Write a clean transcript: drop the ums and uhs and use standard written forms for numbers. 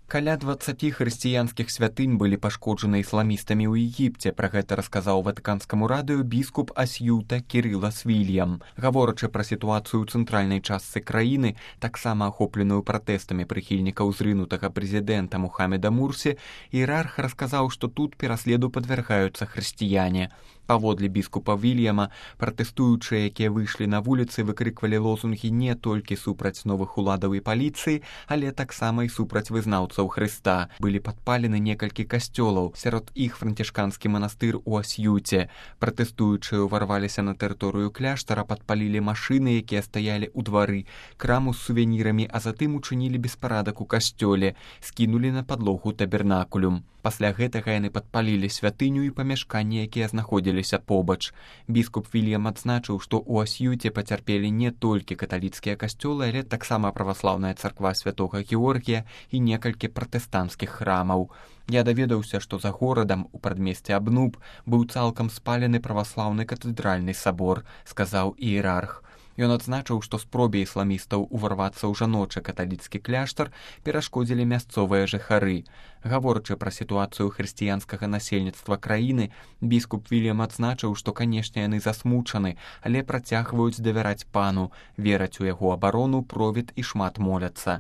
Каля 20 хрысціянскіх святынь былі пашкоджаны ісламістамі ў Егіпце. Пра гэта расказаў ватыканскаму радыё біскуп Асьюта Кірыла Свільям. Гаворачы пра сітуацыю ў цэнтральнай частцы краіны, таксама ахопленую пратэстамі прыхільнікаў зрынутага прэзідэнта Мухаммеда Мурсі, іерарх расказаў, што тут пераследу падвяргаюцца хрысціяне. Паводле біскупа Вільяма, пратэстуючыя, якія выйшлі на вуліцы, выкрыквалі лозунгі не толькі супраць новых уладаў і паліцыі, але таксама і супраць вызнаўцаў Хрыста. Былі падпалены некалькі касцёлаў, сярод іх францішканскі манастыр у Асьюце. Пратэстуючыя ўварваліся на тэрыторыю кляштара, падпалілі машыны, якія стаялі ў двары, краму з сувенірамі, а затым учынілі беспарадак у касцёле, скінулі на падлогу табернакулюм. Пасля гэтага яны падпалілі святыню і памяшканні, якія знаходзіліся побач. Біскуп Вільям адзначыў, што ў Асьюце пацярпелі не толькі каталіцкія касцёлы, але таксама праваслаўная царква святога Георгія і некалькі пратэстанцкіх храмаў. Я даведаўся, што за горадам у прадмесці Абнуб быў цалкам спалены праваслаўны катэдральны сабор, сказаў іерарх. Ён адзначыў, што спробе ісламістаў уварвацца ў жаночы каталіцкі кляштар перашкодзілі мясцовыя жыхары. Гаворачы пра сітуацыю хрысціянскага насельніцтва краіны, біскуп Вільям адзначыў, што, канешне, яны засмучаны, але працягваюць давяраць пану, вераць у яго абарону, провід і шмат моляцца.